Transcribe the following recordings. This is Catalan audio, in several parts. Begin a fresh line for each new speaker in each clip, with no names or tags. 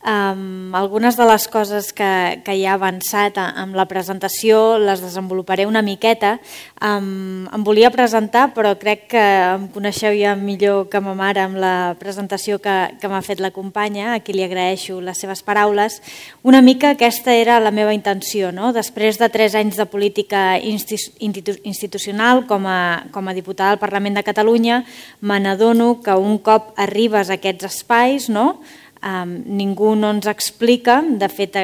Algunes de les coses que ja he avançat amb la presentació les desenvoluparé una miqueta. Em volia presentar, però crec que em coneixeu ja millor que ma mare amb la presentació que m'ha fet la companya, a qui li agraeixo les seves paraules. Una mica aquesta era la meva intenció, no? Després de 3 anys de política institucional com a diputada al Parlament de Catalunya, me n'adono que un cop arribes a aquests espais, no? Ningú no ens explica. De fet,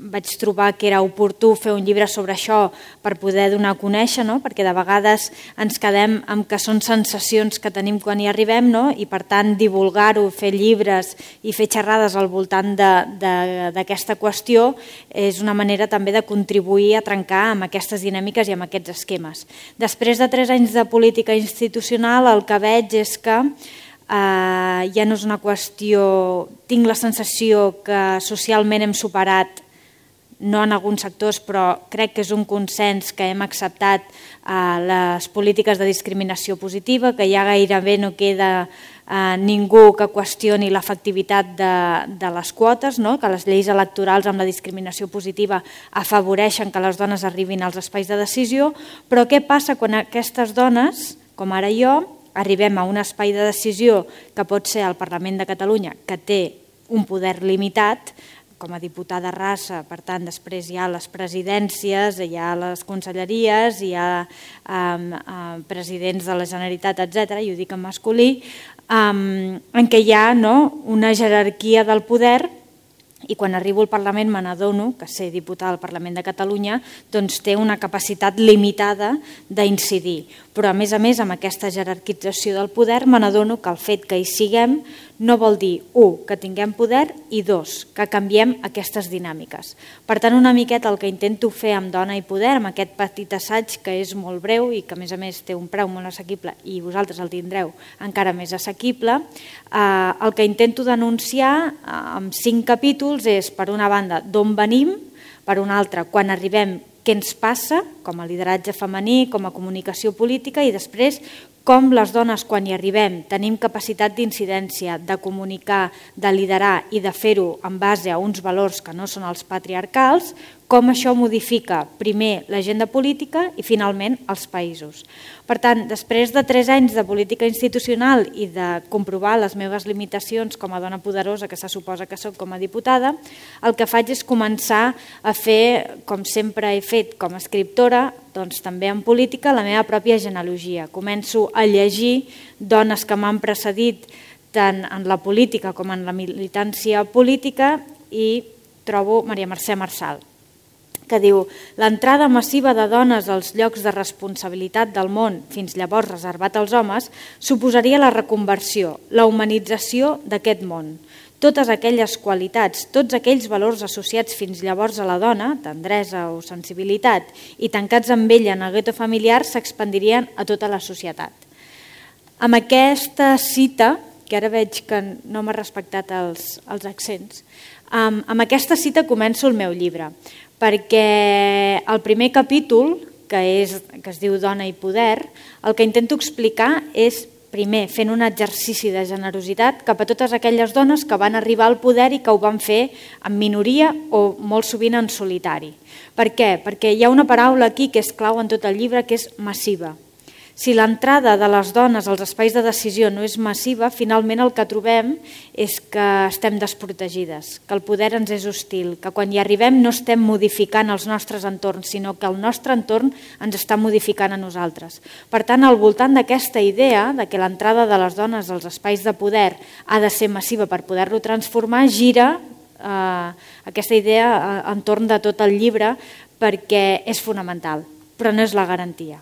vaig trobar que era oportú fer un llibre sobre això per poder donar a conèixer, no? Perquè de vegades ens quedem amb que són sensacions que tenim quan hi arribem, no? I per tant divulgar-ho, fer llibres i fer xerrades al voltant d'aquesta qüestió és una manera també de contribuir a trencar amb aquestes dinàmiques i amb aquests esquemes. Després de 3 anys de política institucional, el que veig és que ja no és una qüestió, tinc la sensació que socialment hem superat, no en alguns sectors, però crec que és un consens que hem acceptat les polítiques de discriminació positiva, que ja gairebé no queda ningú que qüestioni l'efectivitat de les quotes, no? Que les lleis electorals amb la discriminació positiva afavoreixen que les dones arribin als espais de decisió, però què passa quan aquestes dones, com ara jo, arribem a un espai de decisió que pot ser el Parlament de Catalunya, que té un poder limitat, com a diputada raça, per tant, després hi ha les presidències, hi ha les conselleries, hi ha presidents de la Generalitat, etc., i ho dic en masculí, en què hi ha una jerarquia del poder, i quan arribo al Parlament me n'adono que ser diputada al Parlament de Catalunya doncs té una capacitat limitada d'incidir. Però a més, amb aquesta jerarquització del poder me n'adono que el fet que hi siguem no vol dir, 1, que tinguem poder i 2, que canviem aquestes dinàmiques. Per tant, una miqueta el que intento fer amb Dona i Poder, amb aquest petit assaig que és molt breu i que a més té un preu molt assequible i vosaltres el tindreu encara més assequible, el que intento denunciar amb 5 capítols és, per una banda, d'on venim, per una altra, quan arribem, què ens passa, com a lideratge femení, com a comunicació política, i després com les dones, quan hi arribem, tenim capacitat d'incidència, de comunicar, de liderar i de fer-ho en base a uns valors que no són els patriarcals, com això modifica primer l'agenda política i finalment els països. Per tant, després de 3 anys de política institucional i de comprovar les meves limitacions com a dona poderosa que se suposa que soc com a diputada, el que faig és començar a fer, com sempre he fet com a escriptora, doncs també en política, la meva pròpia genealogia. Començo a llegir dones que m'han precedit tant en la política com en la militància política i trobo Maria Mercè Marçal, que diu: l'entrada massiva de dones als llocs de responsabilitat del món, fins llavors reservat als homes, suposaria la reconversió, la humanització d'aquest món. Totes aquelles qualitats, tots aquells valors associats fins llavors a la dona, tendresa o sensibilitat, i tancats amb ella en el gueto familiar, s'expandirien a tota la societat. Amb aquesta cita, que ara veig que no m'ha respectat els accents, amb aquesta cita començo el meu llibre, perquè el primer capítol, que es diu Dona i Poder, el que intento explicar és, primer, fent un exercici de generositat cap a totes aquelles dones que van arribar al poder i que ho van fer en minoria o molt sovint en solitari. Per què? Perquè hi ha una paraula aquí que és clau en tot el llibre, que és massiva. Si l'entrada de les dones als espais de decisió no és massiva, finalment el que trobem és que estem desprotegides, que el poder ens és hostil, que quan hi arribem no estem modificant els nostres entorns, sinó que el nostre entorn ens està modificant a nosaltres. Per tant, al voltant d'aquesta idea de que l'entrada de les dones als espais de poder ha de ser massiva per poder-lo transformar, gira aquesta idea entorn de tot el llibre perquè és fonamental, però no és la garantia.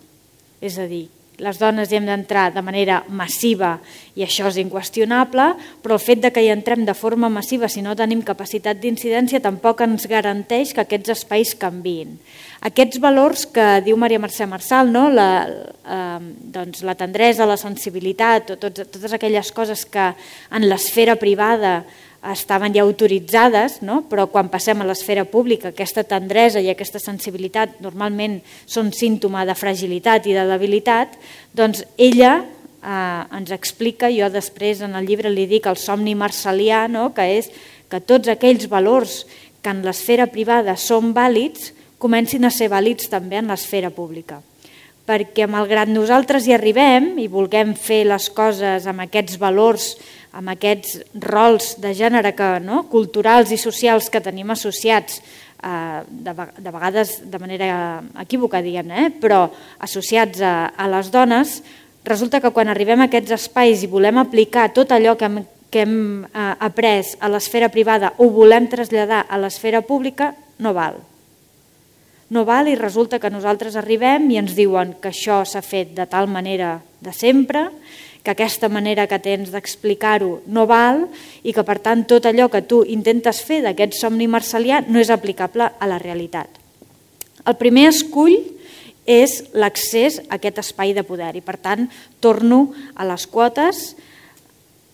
És a dir, les dones hi hem d'entrar de manera massiva i això és inqüestionable, però el fet que hi entrem de forma massiva si no tenim capacitat d'incidència tampoc ens garanteix que aquests espais canviïn. Aquests valors que diu Maria Mercè Marçal, la tendresa, la sensibilitat, totes aquelles coses que en l'esfera privada estaven ja autoritzades, però quan passem a l'esfera pública aquesta tendresa i aquesta sensibilitat normalment són símptoma de fragilitat i de debilitat, doncs ella ens explica, jo després en el llibre li dic el somni marcelià, que és que tots aquells valors que en l'esfera privada són vàlids comencin a ser vàlids també en l'esfera pública. Perquè malgrat nosaltres hi arribem i vulguem fer les coses amb aquests valors, amb aquests rols de gènere culturals i socials que tenim associats, de vegades de manera equívoca, però associats a les dones, resulta que quan arribem a aquests espais i volem aplicar tot allò que hem après a l'esfera privada o volem traslladar a l'esfera pública, no val. No val i resulta que nosaltres arribem i ens diuen que això s'ha fet de tal manera de sempre, que aquesta manera que tens d'explicar-ho no val i que per tant tot allò que tu intentes fer d'aquest somni marsalià no és aplicable a la realitat. El primer escull és l'accés a aquest espai de poder i per tant torno a les quotes.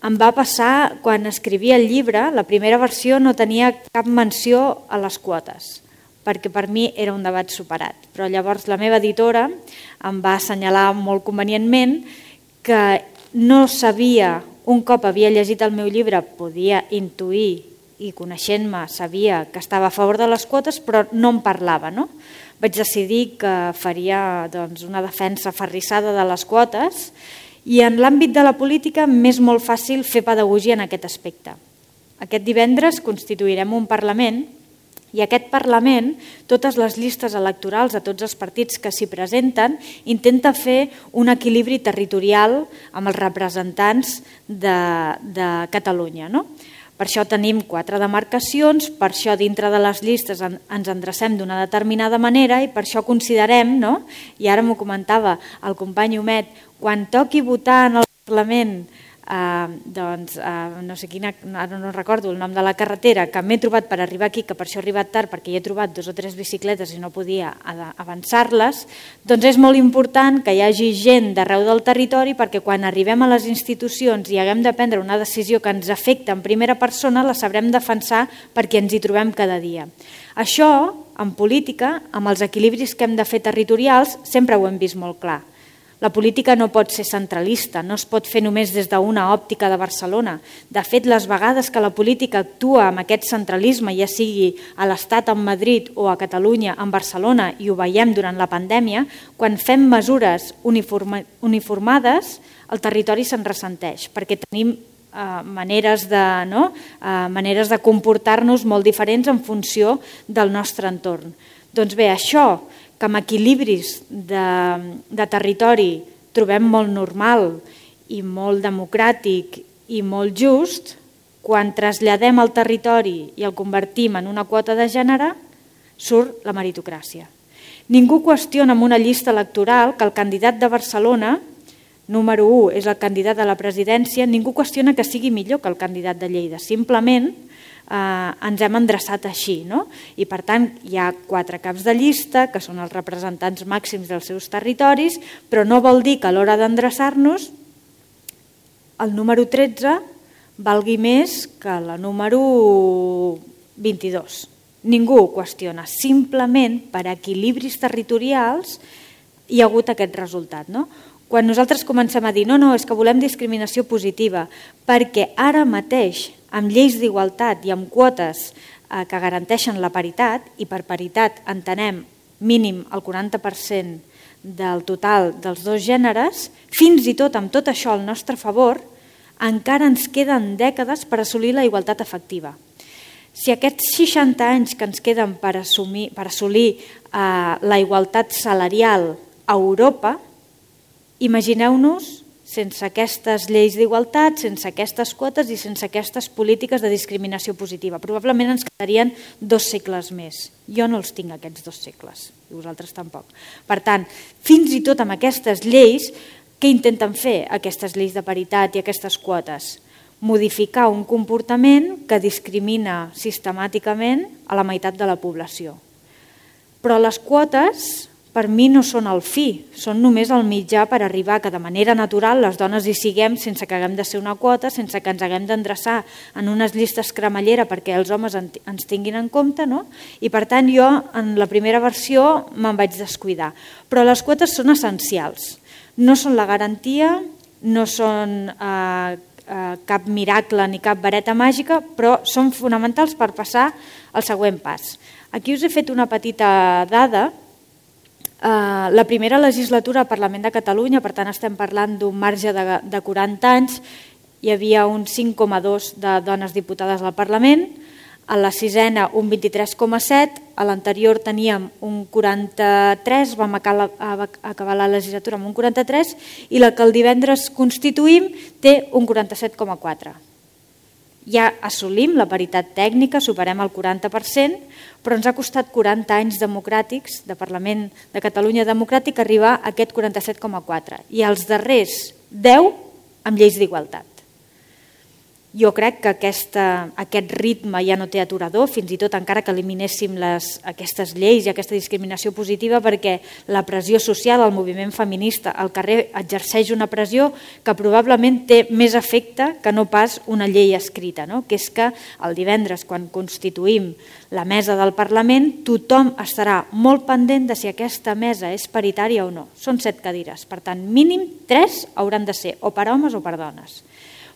Em va passar quan escrivia el llibre, la primera versió no tenia cap menció a les quotes, perquè per mi era un debat superat. Però llavors la meva editora em va assenyalar molt convenientment que no sabia, un cop havia llegit el meu llibre, podia intuir i coneixent-me sabia que estava a favor de les quotes, però no en parlava. Vaig decidir que faria una defensa aferrissada de les quotes i en l'àmbit de la política m'és molt fàcil fer pedagogia en aquest aspecte. Aquest divendres constituirem un Parlament i aquest Parlament, totes les llistes electorals de tots els partits que s'hi presenten, intenta fer un equilibri territorial amb els representants de Catalunya. Per això tenim 4 demarcacions, per això dintre de les llistes ens endrecem d'una determinada manera i per això considerem, i ara m'ho comentava el company Homet, quan toqui votar en el Parlament, no sé quina, ara no recordo el nom de la carretera, que m'he trobat per arribar aquí, que per això he arribat tard perquè hi he trobat 2 o 3 bicicletes i no podia avançar-les, doncs és molt important que hi hagi gent d'arreu del territori perquè quan arribem a les institucions i haguem de prendre una decisió que ens afecta en primera persona, la sabrem defensar perquè ens hi trobem cada dia. Això, en política, amb els equilibris que hem de fer territorials, sempre ho hem vist molt clar. La política no pot ser centralista, no es pot fer només des d'una òptica de Barcelona. De fet, les vegades que la política actua amb aquest centralisme, ja sigui a l'Estat en Madrid o a Catalunya en Barcelona, i ho veiem durant la pandèmia, quan fem mesures uniformades, el territori se'n ressenteix, perquè tenim maneres de comportar-nos molt diferents en funció del nostre entorn. Doncs bé, això que amb equilibris de territori trobem molt normal i molt democràtic i molt just, quan traslladem al territori i el convertim en una quota de gènere, surt la meritocràcia. Ningú qüestiona en una llista electoral que el candidat de Barcelona, número 1, és el candidat a la presidència, ningú qüestiona que sigui millor que el candidat de Lleida. Simplement ens hem endreçat així. I per tant hi ha 4 caps de llista que són els representants màxims dels seus territoris, però no vol dir que a l'hora d'endreçar-nos el número 13 valgui més que la número 22. Ningú ho qüestiona, simplement per equilibris territorials hi ha hagut aquest resultat. Quan nosaltres comencem a dir no, és que volem discriminació positiva, perquè ara mateix amb lleis d'igualtat i amb quotes que garanteixen la paritat, i per paritat entenem mínim el 40% del total dels 2 gèneres, fins i tot amb tot això al nostre favor, encara ens queden dècades per assolir la igualtat efectiva. Si aquests 60 anys que ens queden per assolir la igualtat salarial a Europa, imagineu-nos sense aquestes lleis d'igualtat, sense aquestes quotes i sense aquestes polítiques de discriminació positiva. Probablement ens quedarien 2 segles més. Jo no els tinc, aquests 2 segles, i vosaltres tampoc. Per tant, fins i tot amb aquestes lleis, què intenten fer aquestes lleis de paritat i aquestes quotes? Modificar un comportament que discrimina sistemàticament a la meitat de la població. Però les quotes per mi no són el fi, són només el mitjà per arribar que de manera natural les dones hi siguem sense que haguem de ser una quota, sense que ens haguem d'endreçar en unes llistes cremallera perquè els homes ens tinguin en compte, I per tant jo en la primera versió me'n vaig descuidar. Però les quotes són essencials, no són la garantia, no són cap miracle ni cap vareta màgica, però són fonamentals per passar al següent pas. Aquí us he fet una petita dada. La primera legislatura al Parlament de Catalunya, per tant estem parlant d'un marge de 40 anys, hi havia un 5,2 de dones diputades al Parlament, a la sisena un 23,7, a l'anterior teníem un 43, vam acabar la legislatura amb un 43, i la que el divendres constituïm té un 47,4. Ja assolim la paritat tècnica, superem el 40%, però ens ha costat 40 anys democràtics, de Parlament de Catalunya democràtic, arribar a aquest 47,4, i els darrers 10 amb lleis d'igualtat. Jo crec que aquest ritme ja no té aturador, fins i tot encara que eliminéssim aquestes lleis i aquesta discriminació positiva, perquè la pressió social, el moviment feminista, al carrer exerceix una pressió que probablement té més efecte que no pas una llei escrita, no? Que és que el divendres, quan constituïm la mesa del Parlament, tothom estarà molt pendent de si aquesta mesa és paritària o no. Són 7 cadires, per tant, mínim 3 hauran de ser o per homes o per dones.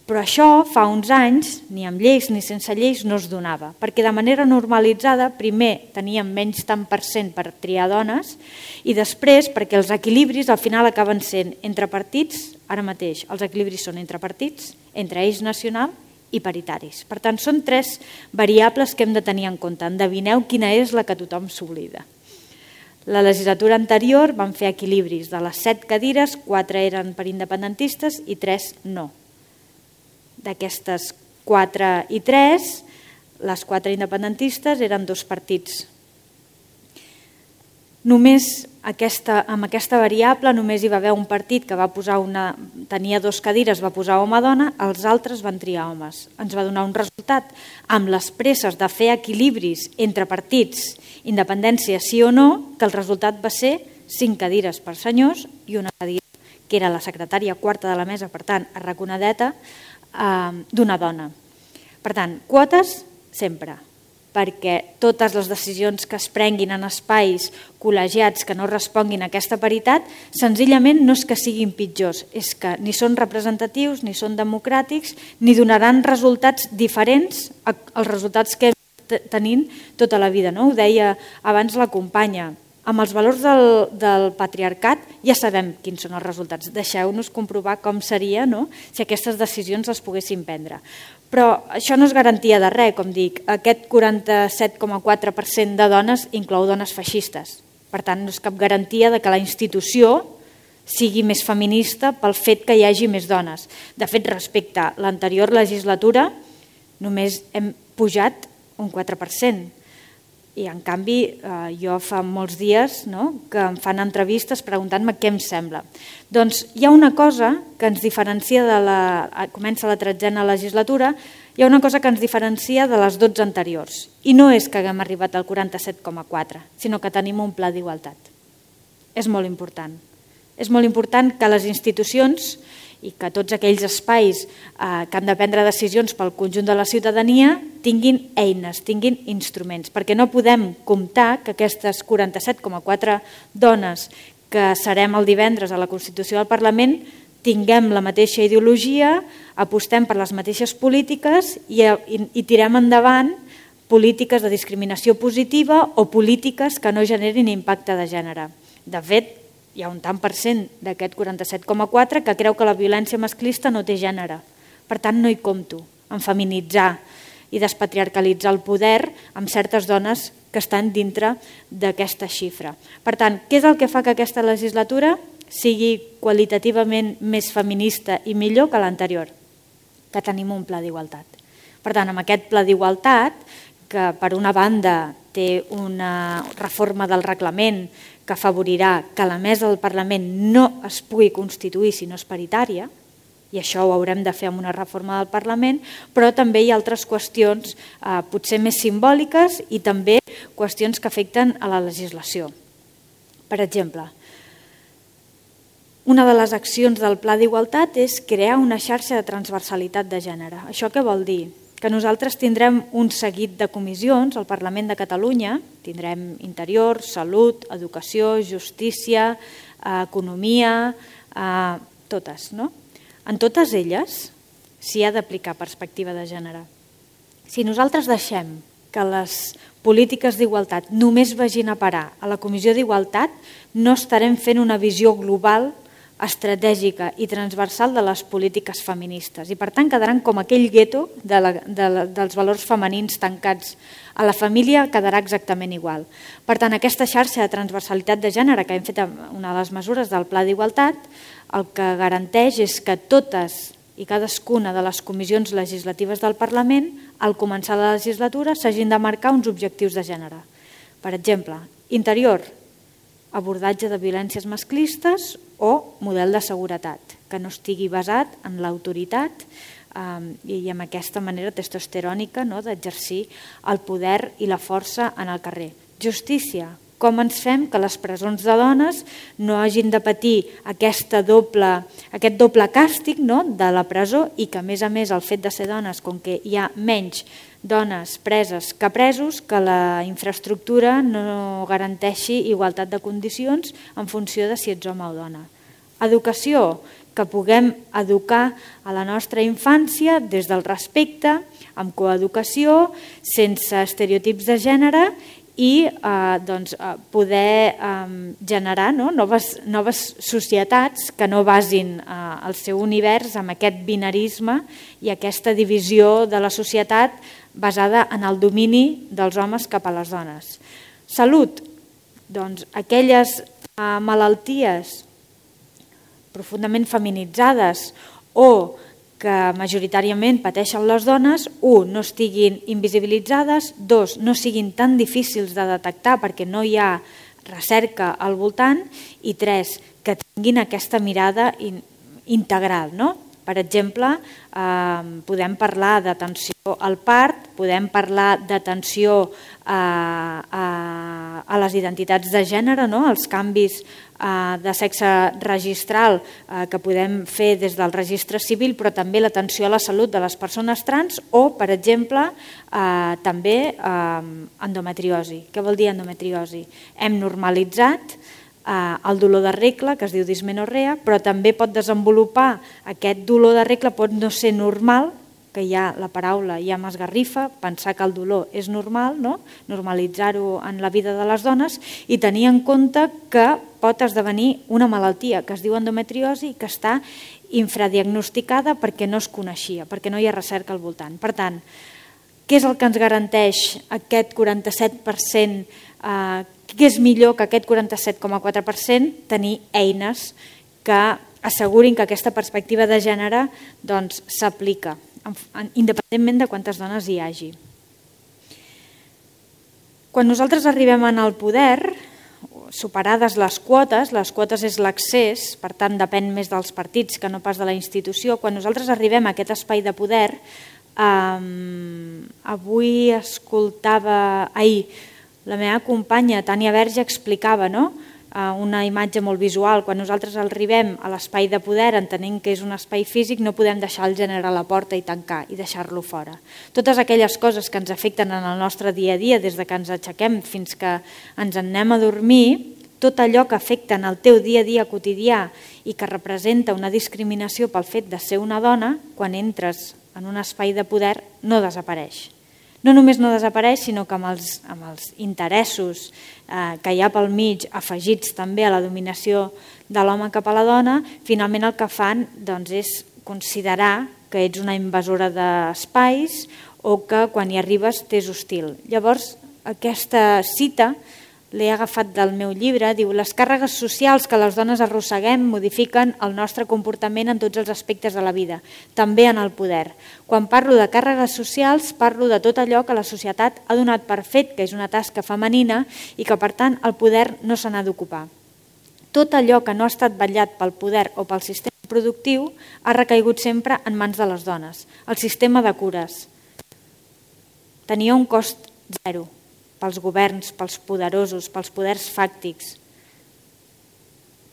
Però això fa uns anys, ni amb lleis ni sense lleis, no es donava, perquè de manera normalitzada primer teníem menys tant per cent per triar dones i després perquè els equilibris al final acaben sent entre partits, ara mateix els equilibris són entre partits, entre eix nacional i paritaris. Per tant, són 3 variables que hem de tenir en compte. Endevineu quina és la que tothom s'oblida. La legislatura anterior vam fer equilibris. De les 7 cadires, 4 eren per independentistes i 3 no. D'aquestes 4 i 3, les 4 independentistes eren 2 partits. Només amb aquesta variable només hi va haver un partit que va posar tenia 2 cadires, va posar home-dona, els altres van triar homes. Ens va donar un resultat. Amb les presses de fer equilibris entre partits, independència sí o no, que el resultat va ser 5 cadires per senyors i una cadira, que era la secretària quarta de la mesa, per tant, arraconadeta, d'una dona. Per tant, quotes sempre, perquè totes les decisions que es prenguin en espais col·legiats que no responguin a aquesta paritat, senzillament no és que siguin pitjors, és que ni són representatius, ni són democràtics, ni donaran resultats diferents als resultats que tenim tota la vida. Ho deia abans la companya. Amb els valors del patriarcat ja sabem quins són els resultats. Deixeu-nos comprovar com seria si aquestes decisions les poguéssim prendre. Però això no és garantia de res, com dic. Aquest 47,4% de dones inclou dones feixistes. Per tant, no és cap garantia de que la institució sigui més feminista pel fet que hi hagi més dones. De fet, respecte a l'anterior legislatura, només hem pujat un 4%. I en canvi jo fa molts dies que em fan entrevistes preguntant-me què em sembla. Doncs hi ha una cosa que ens diferencia comença la 13a legislatura, hi ha una cosa que ens diferencia de les 12 anteriors. I no és que haguem arribat al 47,4, sinó que tenim un pla d'igualtat. És molt important. És molt important que les institucions i que tots aquells espais que han de prendre decisions pel conjunt de la ciutadania tinguin eines, tinguin instruments, perquè no podem comptar que aquestes 47,4 dones que serem el divendres a la Constitució del Parlament tinguem la mateixa ideologia, apostem per les mateixes polítiques i tirem endavant polítiques de discriminació positiva o polítiques que no generin impacte de gènere. De fet, hi ha un tant per cent d'aquest 47,4 que creu que la violència masclista no té gènere. Per tant, no hi compto en feminitzar i despatriarcalitzar el poder amb certes dones que estan dintre d'aquesta xifra. Per tant, què és el que fa que aquesta legislatura sigui qualitativament més feminista i millor que l'anterior? Que tenim un pla d'igualtat. Per tant, amb aquest pla d'igualtat, que per una banda té una reforma del reglament que afavorirà que la mesa del Parlament no es pugui constituir si no és paritària, i això ho haurem de fer amb una reforma del Parlament, però també hi ha altres qüestions potser més simbòliques i també qüestions que afecten a la legislació. Per exemple, una de les accions del Pla d'Igualtat és crear una xarxa de transversalitat de gènere. Això què vol dir? Que nosaltres tindrem un seguit de comissions al Parlament de Catalunya, tindrem Interior, Salut, Educació, Justícia, Economia, totes, no? En totes elles s'hi ha d'aplicar perspectiva de gènere. Si nosaltres deixem que les polítiques d'igualtat només vagin a parar a la Comissió d'Igualtat, no estarem fent una visió global, estratègica i transversal de les polítiques feministes. I per tant quedaran com aquell gueto dels valors femenins tancats a la família, quedarà exactament igual. Per tant, aquesta xarxa de transversalitat de gènere que hem fet una de les mesures del Pla d'Igualtat, el que garanteix és que totes i cadascuna de les comissions legislatives del Parlament, al començar la legislatura, s'hagin de marcar uns objectius de gènere. Per exemple, interior, abordatge de violències masclistes o model de seguretat, que no estigui basat en l'autoritat i amb aquesta manera testosterònica d'exercir el poder i la força en el carrer. Justícia, com ens fem que les presons de dones no hagin de patir aquest doble càstig de la presó i que a més el fet de ser dones, com que hi ha menys dones preses que presos, que la infraestructura no garanteixi igualtat de condicions en funció de si ets home o dona. Educació, que puguem educar a la nostra infància des del respecte, amb coeducació, sense estereotips de gènere i poder generar noves societats que no basin el seu univers en aquest binarisme i aquesta divisió de la societat basada en el domini dels homes cap a les dones. Salut, doncs aquelles malalties profundament feminitzades o que majoritàriament pateixen les dones, no estiguin invisibilitzades, no siguin tan difícils de detectar perquè no hi ha recerca al voltant i que tinguin aquesta mirada integral. Per exemple, podem parlar d'atenció al part, podem parlar d'atenció a les identitats de gènere, els canvis de sexe registral que podem fer des del registre civil, però també l'atenció a la salut de les persones trans o, per exemple, també endometriosi. Què vol dir endometriosi? Hem normalitzat el dolor de regla, que es diu dismenorrea, però també pot desenvolupar aquest dolor de regla, pot no ser normal, que la paraula ja m'esgarrifa, pensar que el dolor és normal, normalitzar-ho en la vida de les dones i tenir en compte que pot esdevenir una malaltia que es diu endometriosi i que està infradiagnosticada perquè no es coneixia, perquè no hi ha recerca al voltant. Per tant, què és el que ens garanteix aquest 47%? Què és millor que aquest 47,4%? Tenir eines que assegurin que aquesta perspectiva de gènere s'aplica, independentment de quantes dones hi hagi. Quan nosaltres arribem al poder, superades les quotes és l'accés, per tant depèn més dels partits que no pas de la institució, quan nosaltres arribem a aquest espai de poder, avui escoltava, la meva companya Tània Verge explicava una imatge molt visual. Quan nosaltres arribem a l'espai de poder, entenent que és un espai físic, no podem deixar el gènere a la porta i tancar i deixar-lo fora. Totes aquelles coses que ens afecten en el nostre dia a dia, des que ens aixequem fins que ens anem a dormir, tot allò que afecta en el teu dia a dia quotidià i que representa una discriminació pel fet de ser una dona, quan entres en un espai de poder no desapareix. No només no desapareix, sinó que amb els interessos que hi ha pel mig, afegits també a la dominació de l'home cap a la dona, finalment el que fan és considerar que ets una invasora d'espais o que quan hi arribes t'és hostil. Llavors, aquesta cita l'he agafat del meu llibre, diu: les càrregues socials que les dones arrosseguem modifiquen el nostre comportament en tots els aspectes de la vida, també en el poder. Quan parlo de càrregues socials, parlo de tot allò que la societat ha donat per fet, que és una tasca femenina i que per tant el poder no se n'ha d'ocupar. Tot allò que no ha estat vetllat pel poder o pel sistema productiu ha recaigut sempre en mans de les dones. El sistema de cures tenia un cost zero pels governs, pels poderosos, pels poders fàctics.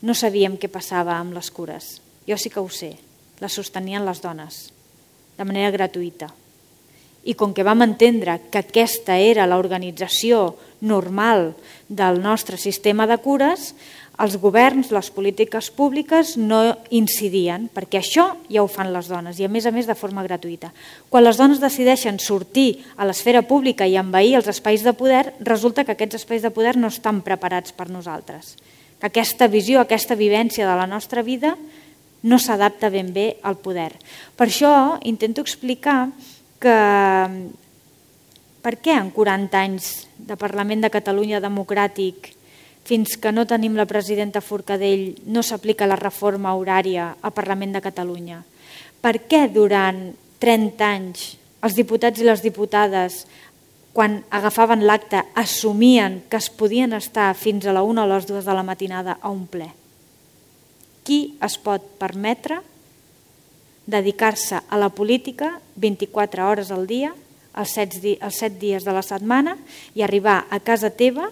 No sabíem què passava amb les cures. Jo sí que ho sé. Les sostenien les dones, de manera gratuïta. I com que vam entendre que aquesta era l'organització normal del nostre sistema de cures, els governs, les polítiques públiques no incidien, perquè això ja ho fan les dones i a més de forma gratuïta. Quan les dones decideixen sortir a l'esfera pública i envair els espais de poder, resulta que aquests espais de poder no estan preparats per nosaltres. Que aquesta visió, aquesta vivència de la nostra vida no s'adapta ben bé al poder. Per això intento explicar que per què en 40 anys de Parlament de Catalunya democràtic, fins que no tenim la presidenta Forcadell, no s'aplica la reforma horària al Parlament de Catalunya? Per què durant 30 anys els diputats i les diputades, quan agafaven l'acte, assumien que es podien estar fins a la 1 o les 2 de la matinada a un ple? Qui es pot permetre dedicar-se a la política 24 hores al dia, els 7 dies de la setmana i arribar a casa teva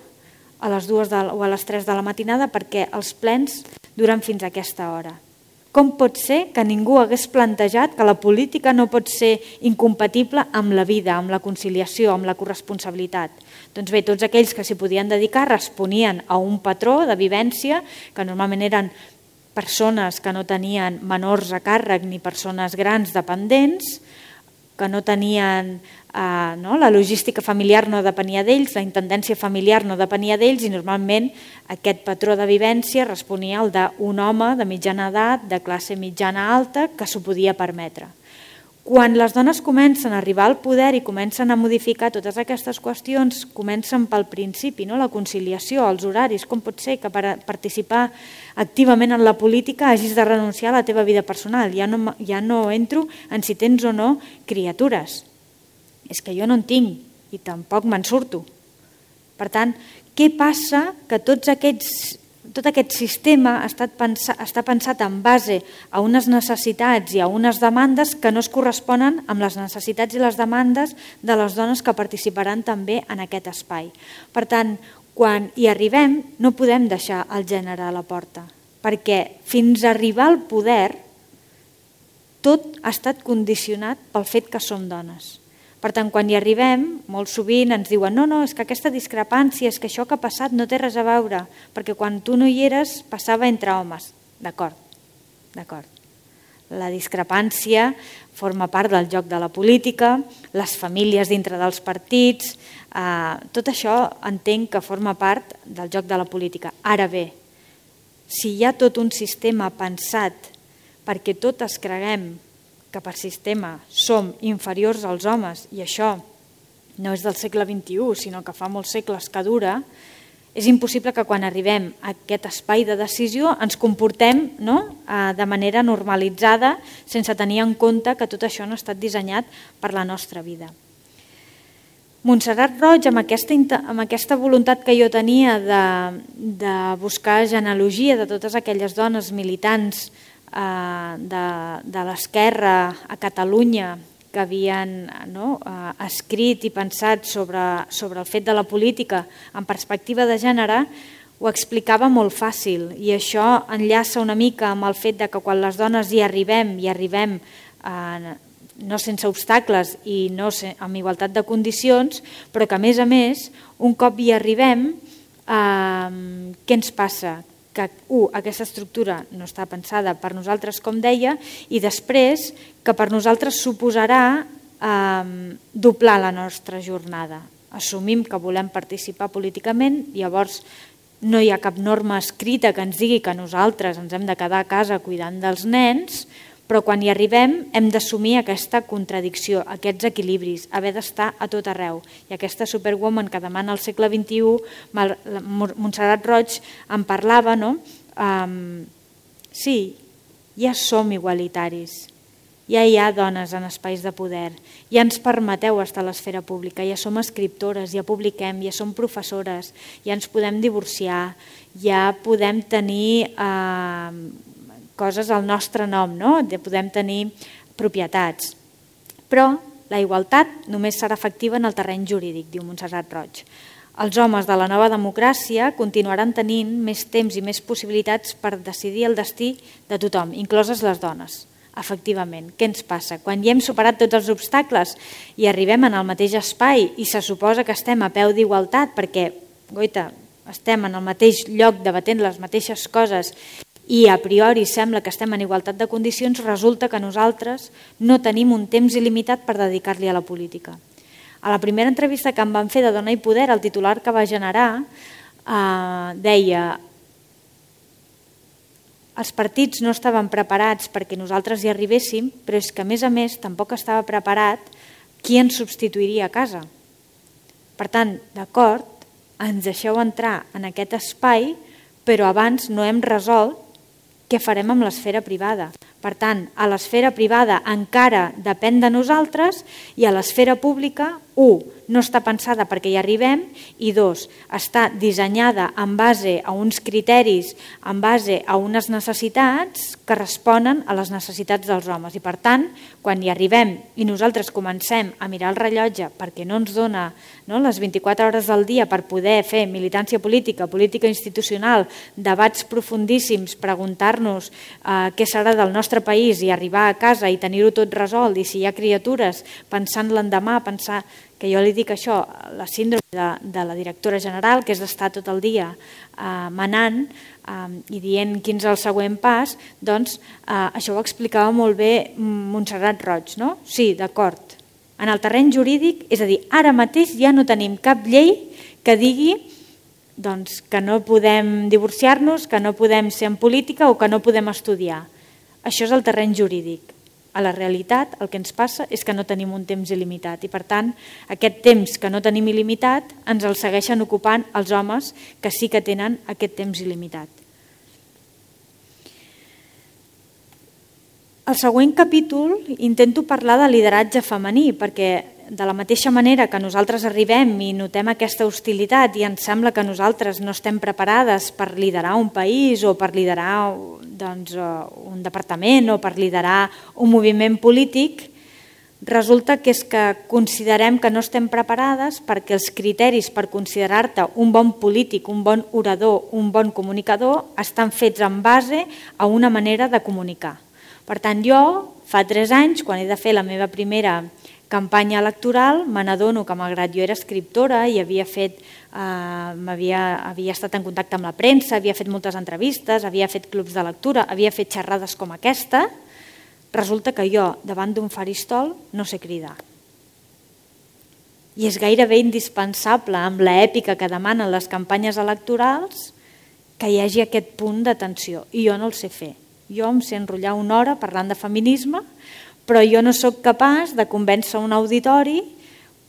a les 2 o a les 3 de la matinada perquè els plens duren fins a aquesta hora? Com pot ser que ningú hagués plantejat que la política no pot ser incompatible amb la vida, amb la conciliació, amb la corresponsabilitat? Doncs bé, tots aquells que s'hi podien dedicar responien a un patró de vivència, que normalment eren persones que no tenien menors a càrrec ni persones grans dependents, que no tenien la logística familiar no depenia d'ells, la intendència familiar no depenia d'ells i normalment aquest patró de vivència responia al d'un home de mitjana edat, de classe mitjana alta, que s'ho podia permetre. Quan les dones comencen a arribar al poder i comencen a modificar totes aquestes qüestions, comencen pel principi, la conciliació, els horaris. Com pot ser que per participar activament en la política hagis de renunciar a la teva vida personal? Ja no entro en si tens o no criatures. És que jo no en tinc i tampoc me'n surto. Per tant, què passa? Que tot aquest sistema està pensat en base a unes necessitats i a unes demandes que no es corresponen amb les necessitats i les demandes de les dones que participaran també en aquest espai. Per tant, quan hi arribem no podem deixar el gènere a la porta, perquè fins a arribar al poder tot ha estat condicionat pel fet que som dones. Per tant, quan hi arribem, molt sovint ens diuen no, és que aquesta discrepància, és que això que ha passat no té res a veure, perquè quan tu no hi eres passava entre homes. D'acord. La discrepància forma part del joc de la política, les famílies dintre dels partits, tot això entenc que forma part del joc de la política. Ara bé, si hi ha tot un sistema pensat perquè totes creguem que per sistema som inferiors als homes i això no és del segle XXI, sinó que fa molts segles que dura, és impossible que quan arribem a aquest espai de decisió ens comportem de manera normalitzada sense tenir en compte que tot això no ha estat dissenyat per la nostra vida. Montserrat Roig, amb aquesta voluntat que jo tenia de buscar genealogia de totes aquelles dones militants de l'esquerra a Catalunya que havien escrit i pensat sobre el fet de la política en perspectiva de gènere, ho explicava molt fàcil i això enllaça una mica amb el fet que quan les dones hi arribem no sense obstacles i no amb igualtat de condicions, però que a més, un cop hi arribem, què ens passa? Que aquesta estructura no està pensada per nosaltres, com deia, i després que per nosaltres suposarà doblar la nostra jornada. Assumim que volem participar políticament, llavors no hi ha cap norma escrita que ens digui que nosaltres ens hem de quedar a casa cuidant dels nens, però quan hi arribem hem d'assumir aquesta contradicció, aquests equilibris, haver d'estar a tot arreu. I aquesta superwoman que demana al segle XXI, Montserrat Roig en parlava, sí, ja som igualitaris, ja hi ha dones en espais de poder, ja ens permeteu estar a l'esfera pública, ja som escriptores, ja publiquem, ja som professores, ja ens podem divorciar, ja podem tenir coses al nostre nom, podem tenir propietats. Però la igualtat només serà efectiva en el terreny jurídic, diu Montserrat Roig. Els homes de la nova democràcia continuaran tenint més temps i més possibilitats per decidir el destí de tothom, incloses les dones. Efectivament, què ens passa? Quan ja hem superat tots els obstacles i arribem en el mateix espai i se suposa que estem a peu d'igualtat perquè, goita, estem en el mateix lloc debatent les mateixes coses i a priori sembla que estem en igualtat de condicions, resulta que nosaltres no tenim un temps il·limitat per dedicar-li a la política. A la primera entrevista que em van fer de Dona i Poder, el titular que va generar deia: els partits no estaven preparats perquè nosaltres hi arribéssim, però és que a més tampoc estava preparat qui ens substituiria a casa. Per tant, d'acord, ens deixeu entrar en aquest espai, però abans no hem resolt què farem amb l'esfera privada. Per tant, a l'esfera privada encara depèn de nosaltres i a l'esfera pública, 1, no està pensada perquè hi arribem i 2, està dissenyada en base a uns criteris, en base a unes necessitats que responen a les necessitats dels homes. I per tant, quan hi arribem i nosaltres comencem a mirar el rellotge perquè no ens dona les 24 hores del dia per poder fer militància política, política institucional, debats profundíssims, preguntar-nos què serà del nostre país i arribar a casa i tenir-ho tot resolt, i si hi ha criatures, pensant l'endemà, pensar que jo li dic això, la síndrome de la directora general, que és d'estar tot el dia manant i dient quin és el següent pas, doncs això ho explicava molt bé Montserrat Roig, no? Sí, d'acord. En el terreny jurídic, és a dir, ara mateix ja no tenim cap llei que digui que no podem divorciar-nos, que no podem ser en política o que no podem estudiar. Això és el terreny jurídic. A la realitat el que ens passa és que no tenim un temps il·limitat i per tant aquest temps que no tenim il·limitat ens el segueixen ocupant els homes que sí que tenen aquest temps il·limitat. Al següent capítol intento parlar de lideratge femení perquè de la mateixa manera que nosaltres arribem i notem aquesta hostilitat i ens sembla que nosaltres no estem preparades per liderar un país o per liderar un departament o per liderar un moviment polític, resulta que és que considerem que no estem preparades perquè els criteris per considerar-te un bon polític, un bon orador, un bon comunicador estan fets en base a una manera de comunicar. Per tant, jo fa 3 anys, quan he de fer la meva primera campanya electoral, me n'adono que malgrat jo era escriptora i havia estat en contacte amb la premsa, havia fet moltes entrevistes, havia fet clubs de lectura, havia fet xerrades com aquesta, resulta que jo, davant d'un faristol, no sé cridar. I és gairebé indispensable, amb l'èpica que demanen les campanyes electorals, que hi hagi aquest punt d'atenció, i jo no el sé fer. Jo em sé enrotllar 1 hora parlant de feminisme, però jo no sóc capaç de convèncer un auditori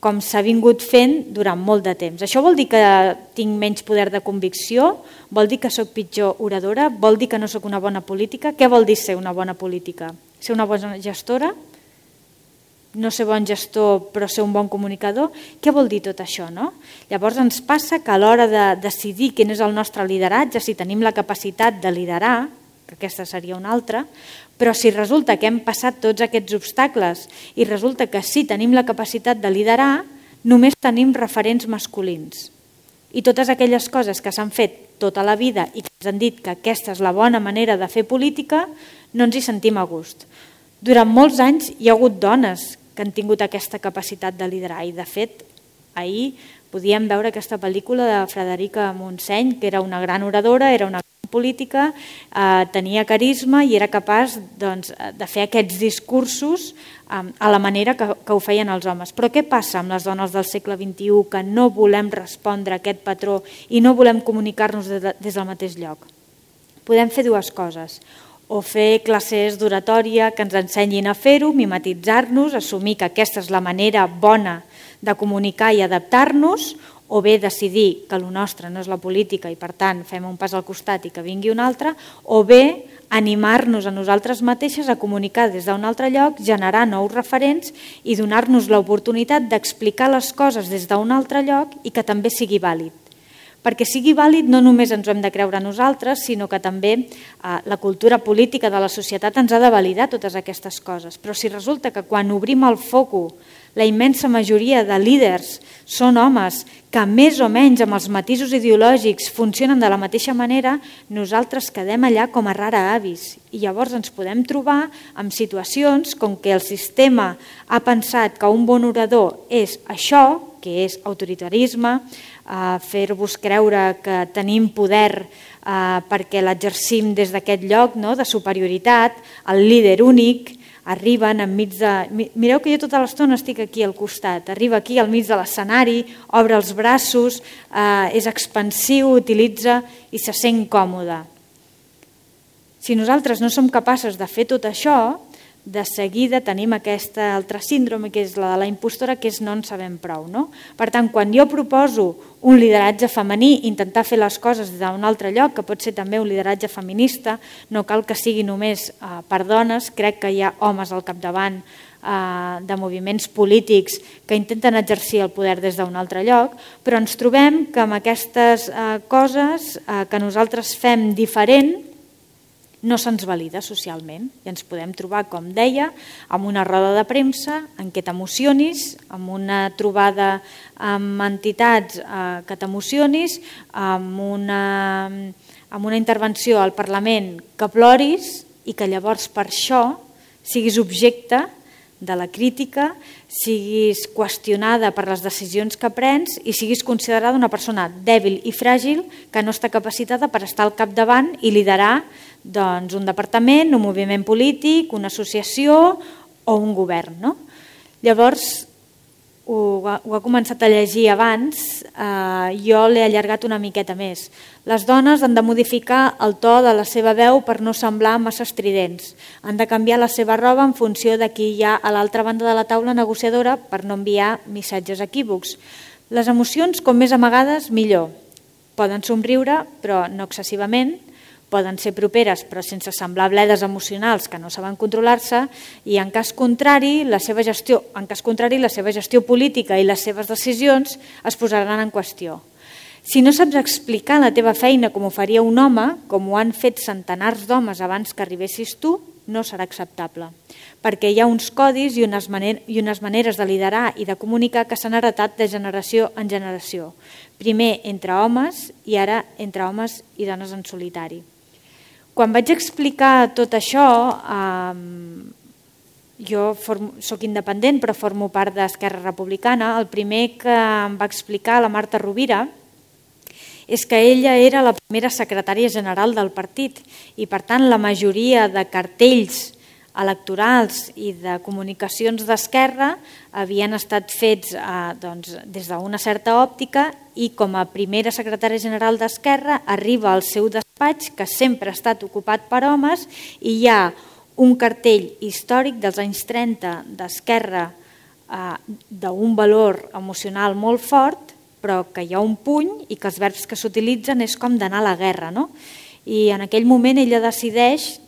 com s'ha vingut fent durant molt de temps. Això vol dir que tinc menys poder de convicció? Vol dir que sóc pitjor oradora? Vol dir que no sóc una bona política? Què vol dir ser una bona política? Ser una bona gestora? No ser bon gestor però ser un bon comunicador? Què vol dir tot això? No? Llavors ens passa que a l'hora de decidir quin és el nostre lideratge, si tenim la capacitat de liderar, que aquesta seria una altra, però si resulta que hem passat tots aquests obstacles i resulta que sí tenim la capacitat de liderar, només tenim referents masculins. I totes aquelles coses que s'han fet tota la vida i que ens han dit que aquesta és la bona manera de fer política, no ens hi sentim a gust. Durant molts anys hi ha hagut dones que han tingut aquesta capacitat de liderar i de fet ahir podíem veure aquesta pel·lícula de Frederica Montseny, que era una gran oradora, era una política, tenia carisma i era capaç de fer aquests discursos a la manera que ho feien els homes. Però què passa amb les dones del segle XXI que no volem respondre a aquest patró i no volem comunicar-nos des del mateix lloc? Podem fer 2 coses. O fer classes d'oratòria que ens ensenyin a fer-ho, mimetitzar-nos, assumir que aquesta és la manera bona de comunicar i adaptar-nos, o bé decidir que el nostre no és la política i per tant fem un pas al costat i que vingui un altre, o bé animar-nos a nosaltres mateixes a comunicar des d'un altre lloc, generar nous referents i donar-nos l'oportunitat d'explicar les coses des d'un altre lloc i que també sigui vàlid. Perquè sigui vàlid no només ens ho hem de creure nosaltres, sinó que també la cultura política de la societat ens ha de validar totes aquestes coses. Però si resulta que quan obrim el foco La immensa majoria de líders són homes que més o menys amb els matisos ideològics funcionen de la mateixa manera, nosaltres quedem allà com a rara avis. I llavors ens podem trobar en situacions com que el sistema ha pensat que un bon orador és això, que és autoritarisme, fer-vos creure que tenim poder perquè l'exercim des d'aquest lloc de superioritat, el líder únic, arriben enmig de... Mireu que jo tota l'estona estic aquí al costat, arriba aquí al mig de l'escenari, obre els braços, és expansiu, utilitza i se sent còmode. Si nosaltres no som capaços de fer tot això, de seguida tenim aquesta altra síndrome, que és la de la impostora, que és no en sabem prou. Per tant, quan jo proposo un lideratge femení, intentar fer les coses des d'un altre lloc, que pot ser també un lideratge feminista, no cal que sigui només per dones, crec que hi ha homes al capdavant de moviments polítics que intenten exercir el poder des d'un altre lloc, però ens trobem que amb aquestes coses que nosaltres fem diferent, no se'ns valida socialment i ens podem trobar, com deia, amb una roda de premsa en què t'emocionis, amb una trobada amb entitats que t'emocionis, amb una intervenció al Parlament que ploris i que llavors per això siguis objecte de la crítica, siguis qüestionada per les decisions que prens i siguis considerada una persona dèbil i fràgil que no està capacitada per estar al capdavant i liderar un departament, un moviment polític, una associació o un govern. Llavors, ho ha començat a llegir abans, jo l'he allargat una miqueta més. Les dones han de modificar el to de la seva veu per no semblar massa estridents. Han de canviar la seva roba en funció de qui hi ha a l'altra banda de la taula negociadora per no enviar missatges equívocs. Les emocions, com més amagades, millor. Poden somriure, però no excessivament. Poden ser properes però sense semblar bledes emocionals que no saben controlar-se i en cas contrari la seva gestió política i les seves decisions es posaran en qüestió. Si no saps explicar la teva feina com ho faria un home, com ho han fet centenars d'homes abans que arribessis tu, no serà acceptable, perquè hi ha uns codis i unes maneres de liderar i de comunicar que s'han heretat de generació en generació. Primer entre homes i ara entre homes i dones en solitari. Quan vaig explicar tot això, jo soc independent però formo part d'Esquerra Republicana, el primer que em va explicar la Marta Rovira és que ella era la primera secretària general del partit i per tant la majoria de cartells electorals i de comunicacions d'Esquerra havien estat fets des d'una certa òptica i com a primera secretària general d'Esquerra arriba al seu despatx, que sempre ha estat ocupat per homes, i hi ha un cartell històric dels anys 30 d'Esquerra d'un valor emocional molt fort, però que hi ha un puny i que els verbs que s'utilitzen és com d'anar a la guerra. I en aquell moment ella decideix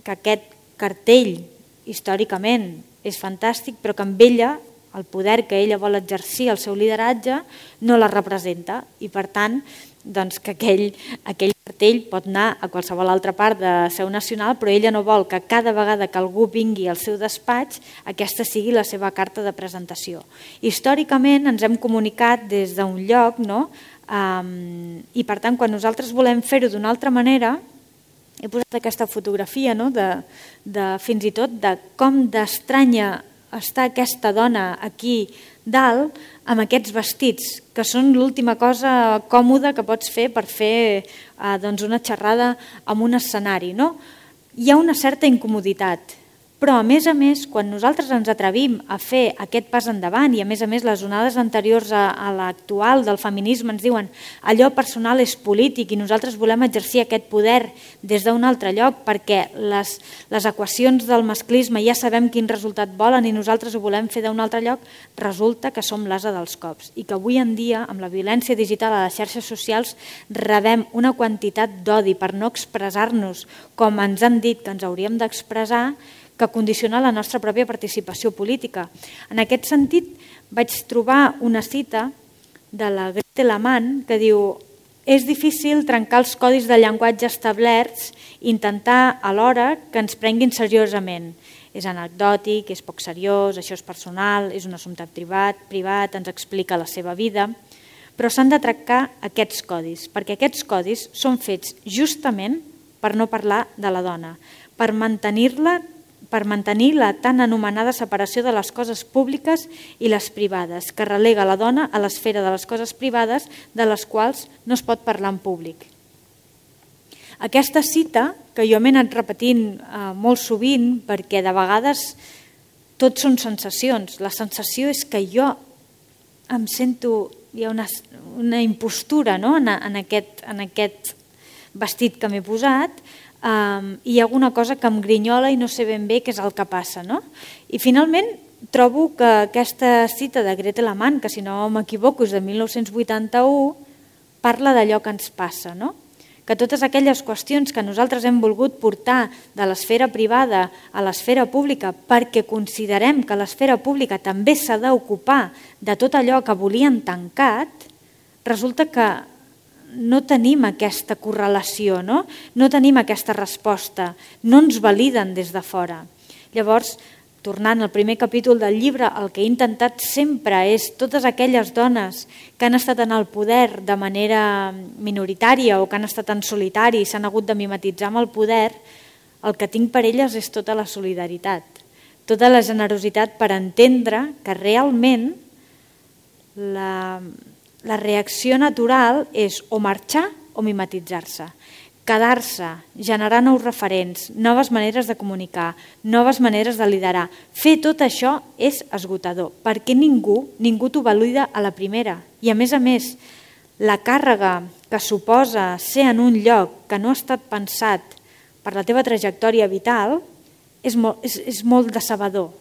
que aquest cartell històricament és fantàstic, però que amb ella el poder que ella vol exercir, el seu lideratge, no la representa i per tant que aquell cartell pot anar a qualsevol altra part de seu nacional, però ella no vol que cada vegada que algú vingui al seu despatx aquesta sigui la seva carta de presentació. Històricament ens hem comunicat des d'un lloc i per tant quan nosaltres volem fer-ho d'una altra manera, he posat aquesta fotografia de fins i tot de com d'estranya està aquesta dona aquí dalt amb aquests vestits, que són l'última cosa còmoda que pots fer per fer una xerrada en un escenari. Hi ha una certa incomoditat, però a més, quan nosaltres ens atrevim a fer aquest pas endavant i a més les onades anteriors a l'actual del feminisme ens diuen allò personal és polític i nosaltres volem exercir aquest poder des d'un altre lloc perquè les equacions del masclisme ja sabem quin resultat volen i nosaltres ho volem fer d'un altre lloc, resulta que som l'ase dels cops i que avui en dia amb la violència digital a les xarxes socials rebem una quantitat d'odi per no expressar-nos com ens han dit que ens hauríem d'expressar que condiciona la nostra pròpia participació política. En aquest sentit, vaig trobar una cita de la Gretel Amann que diu és difícil trencar els codis de llenguatge establerts i intentar alhora que ens prenguin seriosament. És anecdòtic, és poc seriós, això és personal, és un assumpte privat, ens explica la seva vida, però s'han de tractar aquests codis, perquè aquests codis són fets justament per no parlar de la dona, per mantenir la tan anomenada separació de les coses públiques i les privades, que relega la dona a l'esfera de les coses privades de les quals no es pot parlar en públic. Aquesta cita, que jo m'he anat repetint molt sovint, perquè de vegades tot són sensacions. La sensació és que jo em sento, hi ha una impostura, no? en aquest vestit que m'he posat, i hi ha alguna cosa que em grinyola i no sé ben bé què és el que passa. No? I finalment trobo que aquesta cita de Gretel Amann, que si no m'equivoco és de 1981, parla d'allò que ens passa, no? Que totes aquelles qüestions que nosaltres hem volgut portar de l'esfera privada a l'esfera pública perquè considerem que l'esfera pública també s'ha d'ocupar de tot allò que volien tancat, resulta que no tenim aquesta correlació, no tenim aquesta resposta, no ens validen des de fora. Llavors, tornant al primer capítol del llibre, el que he intentat sempre és totes aquelles dones que han estat en el poder de manera minoritària o que han estat en solitari i s'han hagut de mimetitzar amb el poder, el que tinc per elles és tota la solidaritat, tota la generositat per entendre que realment la reacció natural és o marxar o mimetitzar-se. Quedar-se, generar nous referents, noves maneres de comunicar, noves maneres de liderar. Fer tot això és esgotador, perquè ningú t'ho valida a la primera. I a més, la càrrega que suposa ser en un lloc que no ha estat pensat per la teva trajectòria vital és molt decebedor.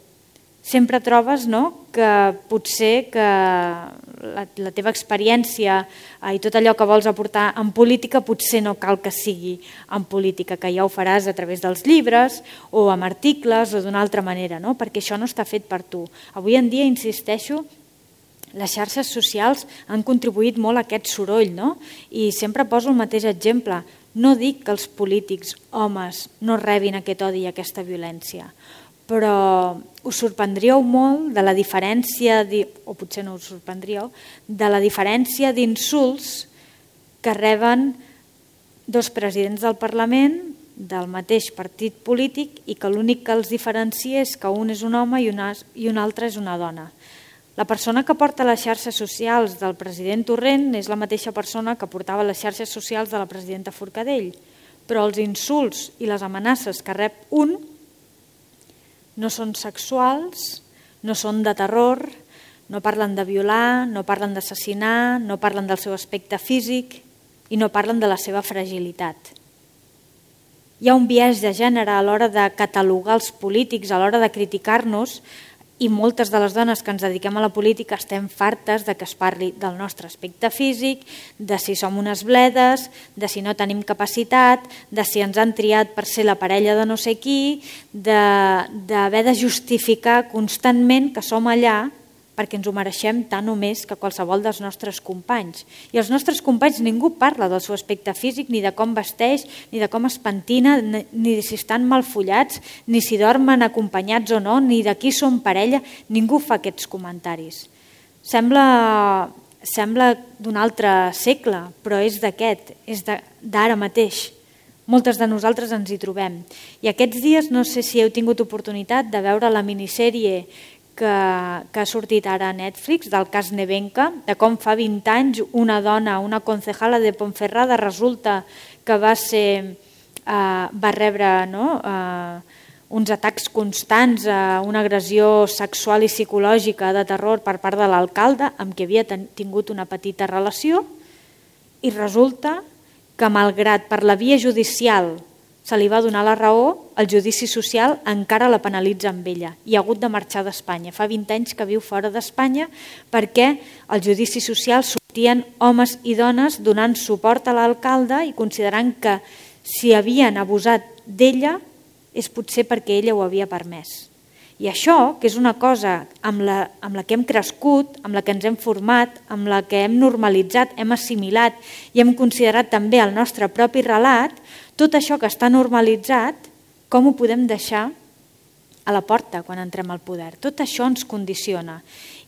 Sempre trobes que potser que la teva experiència i tot allò que vols aportar en política potser no cal que sigui en política, que ja ho faràs a través dels llibres o amb articles o d'una altra manera, perquè això no està fet per tu. Avui en dia, insisteixo, les xarxes socials han contribuït molt a aquest soroll, i sempre poso el mateix exemple. No dic que els polítics, homes, no rebin aquest odi i aquesta violència, però us sorprendríeu molt de la diferència, o potser no us sorprendríeu, de la diferència d'insults que reben dos presidents del Parlament del mateix partit polític i que l'únic que els diferencia és que un és un home i un altre és una dona. La persona que porta les xarxes socials del president Torrent és la mateixa persona que portava les xarxes socials de la presidenta Forcadell, però els insults i les amenaces que rep un no són sexuals, no són de terror, no parlen de violar, no parlen d'assassinar, no parlen del seu aspecte físic i no parlen de la seva fragilitat. Hi ha un biaix de gènere a l'hora de catalogar els polítics, a l'hora de criticar-nos, i moltes de les dones que ens dediquem a la política estem fartes de que es parli del nostre aspecte físic, de si som unes bledes, de si no tenim capacitat, de si ens han triat per ser la parella de no sé qui, d'haver de justificar constantment que som allà perquè ens ho mereixem tant o més que qualsevol dels nostres companys. I els nostres companys ningú parla del seu aspecte físic, ni de com vesteix, ni de com es pentina, ni de si estan mal follats, ni si dormen acompanyats o no, ni de qui són parella. Ningú fa aquests comentaris. Sembla d'un altre segle, però és d'aquest, és d'ara mateix. Moltes de nosaltres ens hi trobem. I aquests dies no sé si heu tingut oportunitat de veure la minissèrie que ha sortit ara a Netflix, del cas Nevenka, de com fa 20 anys una dona, una concejala de Ponferrada, resulta que va rebre uns atacs constants, una agressió sexual i psicològica de terror per part de l'alcalde, amb qui havia tingut una petita relació, i resulta que malgrat per la via judicial se li va donar la raó, el judici social encara la penalitza amb ella i ha hagut de marxar d'Espanya. Fa 20 anys que viu fora d'Espanya perquè al judici social sortien homes i dones donant suport a l'alcalde i considerant que si havien abusat d'ella és potser perquè ella ho havia permès. I això, que és una cosa amb la que hem crescut, amb la que ens hem format, amb la que hem normalitzat, hem assimilat i hem considerat també el nostre propi relat, tot això que està normalitzat, com ho podem deixar a la porta quan entrem al poder. Tot això ens condiciona.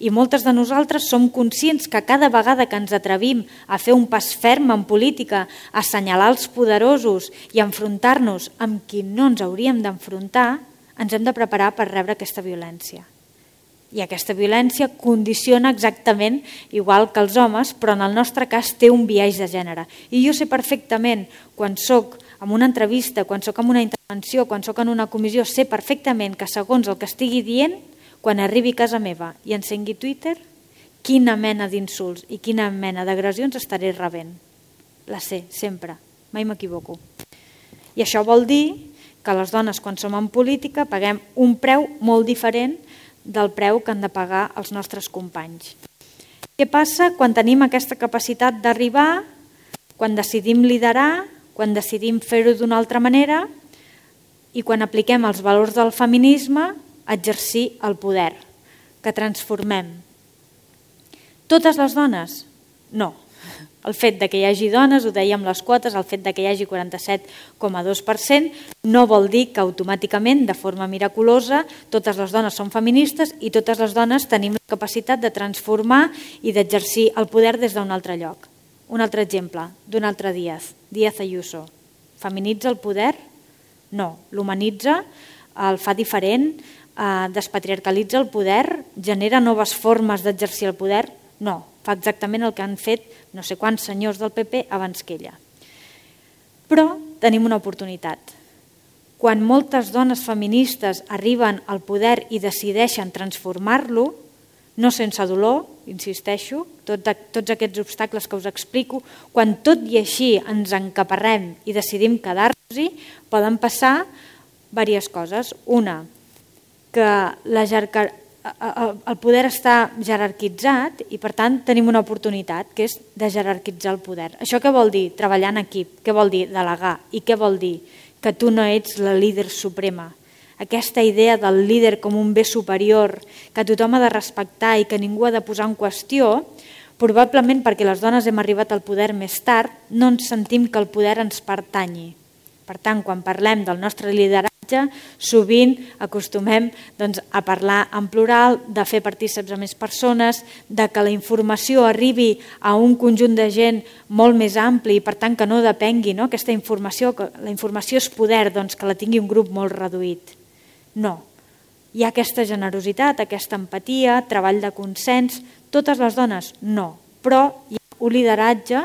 I moltes de nosaltres som conscients que cada vegada que ens atrevim a fer un pas ferm en política, a assenyalar els poderosos i a enfrontar-nos amb qui no ens hauríem d'enfrontar, ens hem de preparar per rebre aquesta violència. I aquesta violència condiciona exactament igual que els homes, però en el nostre cas té un biaix de gènere. I jo sé perfectament, quan soc en una entrevista, quan soc en una intervenció, quan soc en una comissió, sé perfectament que segons el que estigui dient, quan arribi a casa meva i encengui Twitter, quina mena d'insults i quina mena d'agressions estaré rebent. La sé, sempre, mai m'equivoco. I això vol dir que les dones, quan som en política, paguem un preu molt diferent del preu que han de pagar els nostres companys. Què passa quan tenim aquesta capacitat d'arribar, quan decidim liderar, quan decidim fer-ho d'una altra manera i quan apliquem els valors del feminisme a exercir el poder, que transformem? Totes les dones? No. El fet de que hi hagi dones, ho dèiem les quotes, el fet de que hi hagi 47,2% no vol dir que automàticament, de forma miraculosa, totes les dones són feministes i totes les dones tenim la capacitat de transformar i d'exercir el poder des d'un altre lloc. Un altre exemple, d'un altre Díaz Ayuso. Feminitza el poder? No. L'humanitza, el fa diferent, despatriarcalitza el poder, genera noves formes d'exercir el poder? No. Fa exactament el que han fet no sé quants senyors del PP abans que ella. Però tenim una oportunitat. Quan moltes dones feministes arriben al poder i decideixen transformar-lo, no sense dolor, insisteixo, tots aquests obstacles que us explico, quan tot i així ens encaparrem i decidim quedar-nos-hi, poden passar diverses coses. Una, que el poder està jerarquitzat i per tant tenim una oportunitat, que és de jerarquitzar el poder. Això què vol dir? Treballar en equip. Què vol dir? Delegar. I què vol dir? Que tu no ets la líder suprema. Aquesta idea del líder com un bé superior que tothom ha de respectar i que ningú ha de posar en qüestió, probablement perquè les dones hem arribat al poder més tard, no ens sentim que el poder ens pertanyi. Per tant, quan parlem del nostre lideratge, sovint acostumem a parlar en plural, de fer partícips a més persones, de que la informació arribi a un conjunt de gent molt més ampli i per tant que no depengui aquesta informació, que la informació és poder, que la tingui un grup molt reduït. No. Hi ha aquesta generositat, aquesta empatia, treball de consens. Totes les dones? No. Però hi ha un lideratge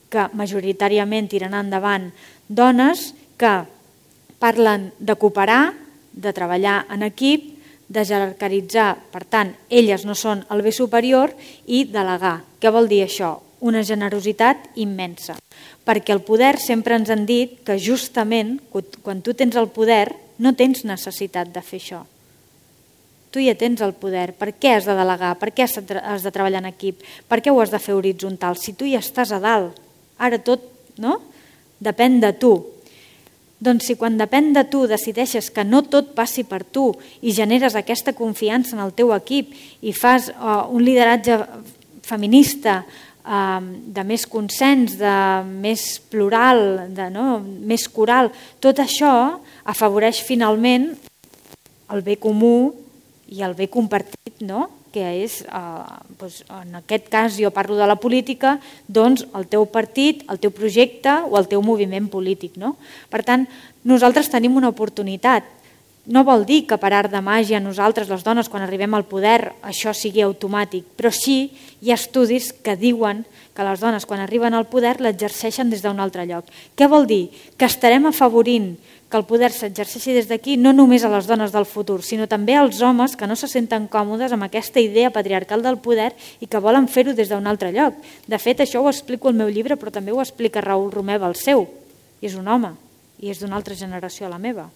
que majoritàriament tiren endavant dones que parlen de cooperar, de treballar en equip, de jerarquitzar, per tant, elles no són el bé superior, i delegar. Què vol dir això? Una generositat immensa. Perquè el poder sempre ens han dit que justament quan tu tens el poder no tens necessitat de fer això. Tu ja tens el poder. Per què has de delegar? Per què has de treballar en equip? Per què ho has de fer horitzontal? Si tu ja estàs a dalt, ara tot depèn de tu. Doncs si quan depèn de tu decideixes que no tot passi per tu i generes aquesta confiança en el teu equip i fas un lideratge feminista de més consens, de més plural, més coral, tot això afavoreix finalment el bé comú i el bé compartit, que és, en aquest cas jo parlo de la política, doncs el teu partit, el teu projecte o el teu moviment polític. Per tant, nosaltres tenim una oportunitat. No vol dir que per art de màgia nosaltres, les dones, quan arribem al poder, això sigui automàtic, però sí hi ha estudis que diuen que les dones, quan arriben al poder, l'exerceixen des d'un altre lloc. Què vol dir? Que estarem afavorint que el poder s'exerceixi des d'aquí no només a les dones del futur, sinó també als homes que no se senten còmodes amb aquesta idea patriarcal del poder i que volen fer-ho des d'un altre lloc. De fet, això ho explico al meu llibre, però també ho explica Raül Romeva al seu. I és un home, i és d'una altra generació a la meva.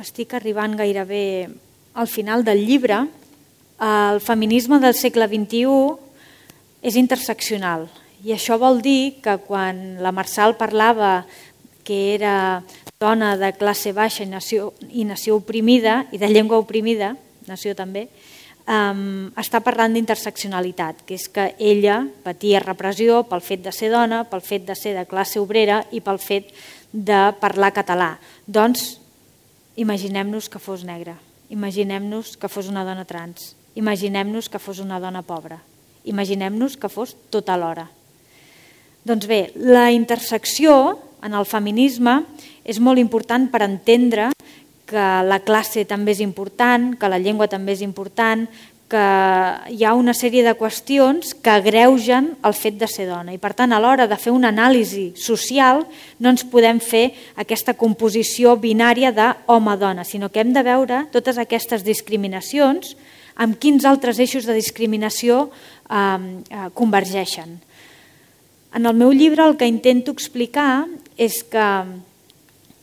Estic arribant gairebé al final del llibre. El feminisme del segle XXI és interseccional. I això vol dir que quan la Marçal parlava que era dona de classe baixa i nació oprimida, i de llengua oprimida, nació també, està parlant d'interseccionalitat, que és que ella patia repressió pel fet de ser dona, pel fet de ser de classe obrera i pel fet de parlar català. Doncs imaginem-nos que fos negra, imaginem-nos que fos una dona trans, imaginem-nos que fos una dona pobra, imaginem-nos que fos tot alhora. Doncs bé, la intersecció en el feminisme és molt important per entendre que la classe també és important, que la llengua també és important, que hi ha una sèrie de qüestions que agreugen el fet de ser dona. I per tant, a l'hora de fer una anàlisi social, no ens podem fer aquesta composició binària d'home-dona, sinó que hem de veure totes aquestes discriminacions amb quins altres eixos de discriminació convergeixen. En el meu llibre el que intento explicar és que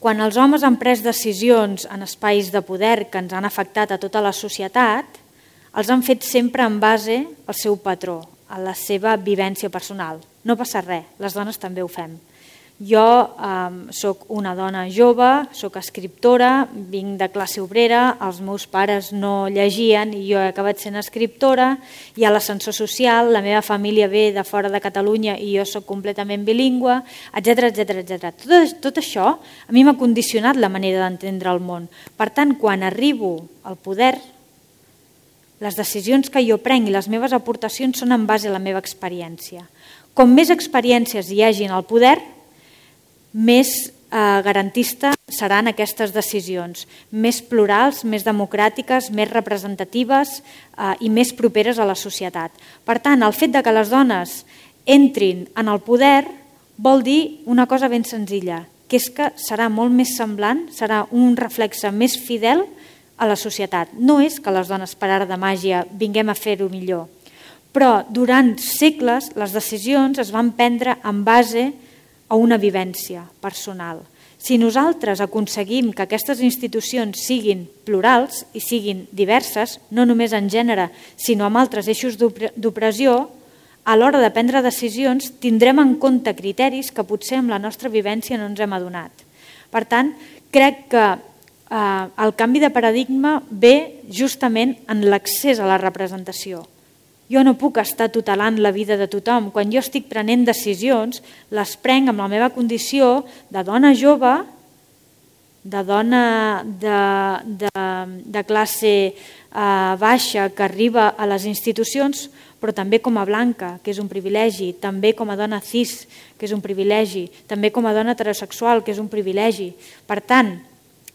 quan els homes han pres decisions en espais de poder que ens han afectat a tota la societat, els han fet sempre en base al seu patró, a la seva vivència personal. No passa res, les dones també ho fem. Jo soc una dona jove, soc escriptora, vinc de classe obrera, els meus pares no llegien i jo he acabat sent escriptora, hi ha l'ascensor social, la meva família ve de fora de Catalunya i jo soc completament bilingüe, etc. Tot això a mi m'ha condicionat la manera d'entendre el món. Per tant, quan arribo al poder, les decisions que jo prenc i les meves aportacions són en base a la meva experiència. Com més experiències hi hagi en el poder, més garantista seran aquestes decisions, més plurals, més democràtiques, més representatives i més properes a la societat. Per tant, el fet de que les dones entrin en el poder vol dir una cosa ben senzilla, que és que serà molt més semblant, serà un reflexe més fidel a la societat. No és que les dones per art de màgia vinguem a fer-ho millor, però durant segles les decisions es van prendre en base a una vivència personal. Si nosaltres aconseguim que aquestes institucions siguin plurals i siguin diverses, no només en gènere, sinó amb altres eixos d'opressió, a l'hora de prendre decisions tindrem en compte criteris que potser amb la nostra vivència no ens hem adonat. Per tant, crec que el canvi de paradigma ve justament en l'accés a la representació. Jo no puc estar tutelant la vida de tothom. Quan jo estic prenent decisions, les prenc amb la meva condició de dona jove, de dona de classe baixa que arriba a les institucions, però també com a blanca, que és un privilegi, també com a dona cis, que és un privilegi, també com a dona heterosexual, que és un privilegi. Per tant,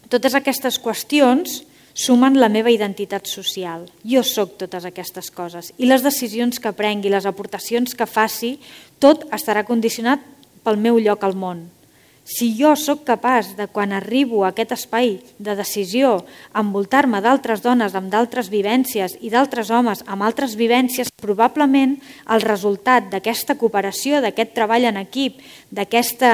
totes aquestes qüestions sumen la meva identitat social. Jo soc totes aquestes coses i les decisions que prengui, les aportacions que faci, tot estarà condicionat pel meu lloc al món. Si jo sóc capaç de, quan arribo a aquest espai de decisió, envoltar-me d'altres dones amb d'altres vivències i d'altres homes amb altres vivències, probablement el resultat d'aquesta cooperació, d'aquest treball en equip, d'aquest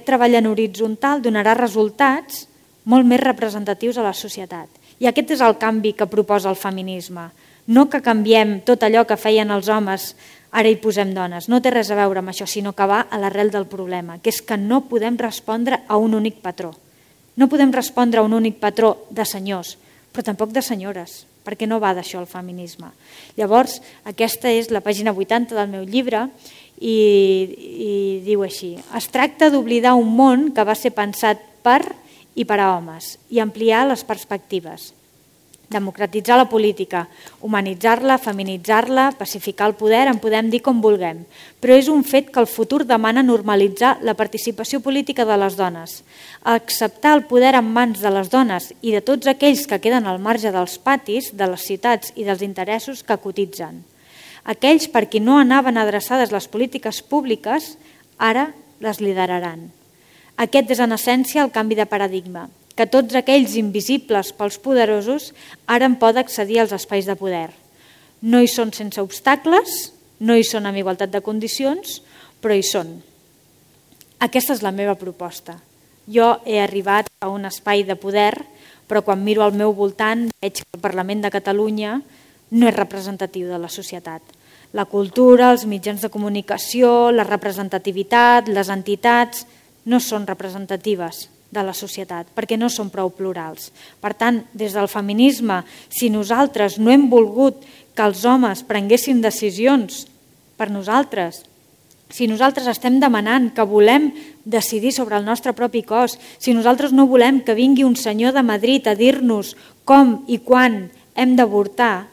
treball en horitzontal donarà resultats molt més representatius a la societat. I aquest és el canvi que proposa el feminisme. No que canviem tot allò que feien els homes, ara hi posem dones. No té res a veure amb això, sinó que va a l'arrel del problema, que és que no podem respondre a un únic patró. No podem respondre a un únic patró de senyors, però tampoc de senyores, perquè no va d'això el feminisme. Llavors, aquesta és la pàgina 80 del meu llibre i diu així: es tracta d'oblidar un món que va ser pensat per i per a homes, i ampliar les perspectives. Democratitzar la política, humanitzar-la, feminitzar-la, pacificar el poder, en podem dir com vulguem, però és un fet que el futur demana normalitzar la participació política de les dones, acceptar el poder en mans de les dones i de tots aquells que queden al marge dels patis, de les ciutats i dels interessos que cotitzen. Aquells per qui no anaven adreçades les polítiques públiques, ara les lideraran. Aquest és en essència el canvi de paradigma, que tots aquells invisibles pels poderosos ara en poden accedir als espais de poder. No hi són sense obstacles, no hi són amb igualtat de condicions, però hi són. Aquesta és la meva proposta. Jo he arribat a un espai de poder, però quan miro al meu voltant veig que el Parlament de Catalunya no és representatiu de la societat. La cultura, els mitjans de comunicació, la representativitat, les entitats no són representatives de la societat, perquè no són prou plurals. Per tant, des del feminisme, si nosaltres no hem volgut que els homes prenguessin decisions per nosaltres Si nosaltres estem demanant que volem decidir sobre el nostre propi cos, si nosaltres no volem que vingui un senyor de Madrid a dir-nos com i quan hem d'avortar,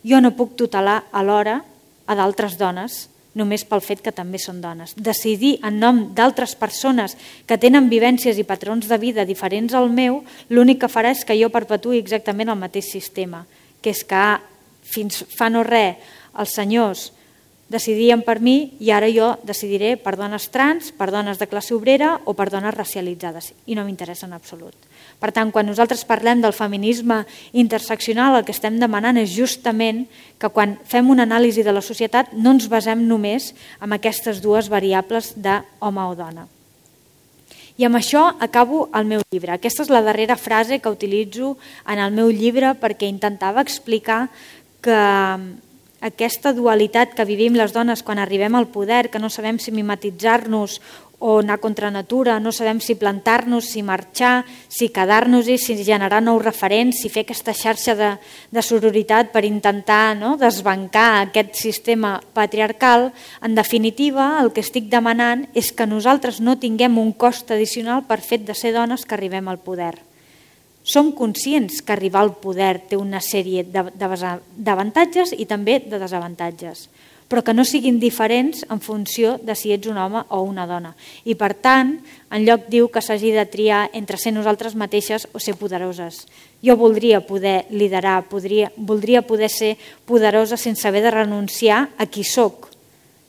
jo no puc tutelar alhora a d'altres dones, només pel fet que també són dones. Decidir en nom d'altres persones que tenen vivències i patrons de vida diferents al meu, l'únic que farà és que jo perpetuï exactament el mateix sistema, que és que fins fa no res els senyors decidien per mi i ara jo decidiré per dones trans, per dones de classe obrera o per dones racialitzades, i no m'interessa en absolut. Per tant, quan nosaltres parlem del feminisme interseccional, el que estem demanant és justament que quan fem una anàlisi de la societat no ens basem només en aquestes dues variables d'home o dona. I amb això acabo el meu llibre. Aquesta és la darrera frase que utilitzo en el meu llibre perquè intentava explicar que aquesta dualitat que vivim les dones quan arribem al poder, que no sabem si mimetitzar-nos o anar contra natura, no sabem si plantar-nos, si marxar, si quedar-nos-hi, si generar nous referents, si fer aquesta xarxa de sororitat per intentar desbancar aquest sistema patriarcal. En definitiva, el que estic demanant és que nosaltres no tinguem un cost addicional per fet de ser dones que arribem al poder. Som conscients que arribar al poder té una sèrie d'avantatges i també de desavantatges, però que no siguin diferents en funció de si ets un home o una dona. I per tant, enlloc diu que s'hagi de triar entre ser nosaltres mateixes o ser poderoses. Jo voldria poder liderar, voldria poder ser poderosa sense haver de renunciar a qui soc.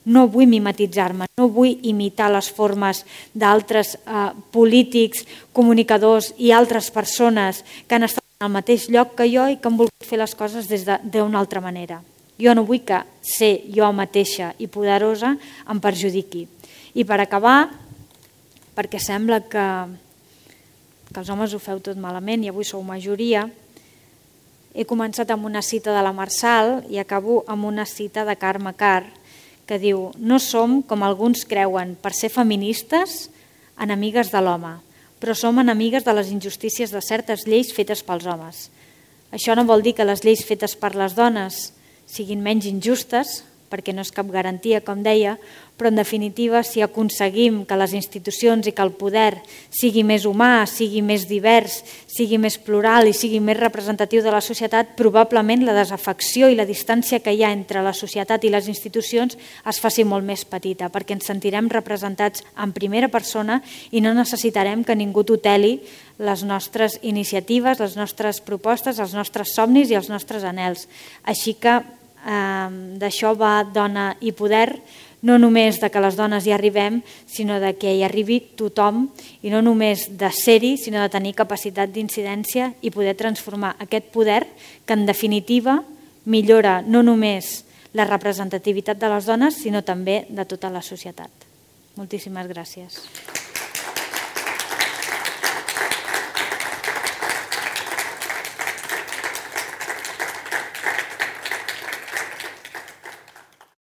No vull mimetitzar-me, no vull imitar les formes d'altres polítics, comunicadors i altres persones que han estat en el mateix lloc que jo i que han volgut fer les coses d'una altra manera. Jo no vull que ser jo mateixa i poderosa em perjudiqui. I per acabar, perquè sembla que els homes ho feu tot malament i avui sou majoria, he començat amb una cita de la Marsal i acabo amb una cita de Carme Karr, que diu: no som, com alguns creuen, per ser feministes, enemigues de l'home, però som enemigues de les injustícies de certes lleis fetes pels homes. Això no vol dir que les lleis fetes per les dones siguin menys injustes, perquè no és cap garantia, com deia, però en definitiva, si aconseguim que les institucions i que el poder sigui més humà, sigui més divers, sigui més plural i sigui més representatiu de la societat, probablement la desafecció i la distància que hi ha entre la societat i les institucions es faci molt més petita, perquè ens sentirem representats en primera persona i no necessitarem que ningú tuteli les nostres iniciatives, les nostres propostes, els nostres somnis i els nostres anhels. Així que d'això va Dona i Poder, no només de que les dones hi arribem, sinó de que hi arribi tothom, i no només de ser-hi, sinó de tenir capacitat d'incidència i poder transformar aquest poder que en definitiva millora no només la representativitat de les dones, sinó també de tota la societat. Moltíssimes gràcies.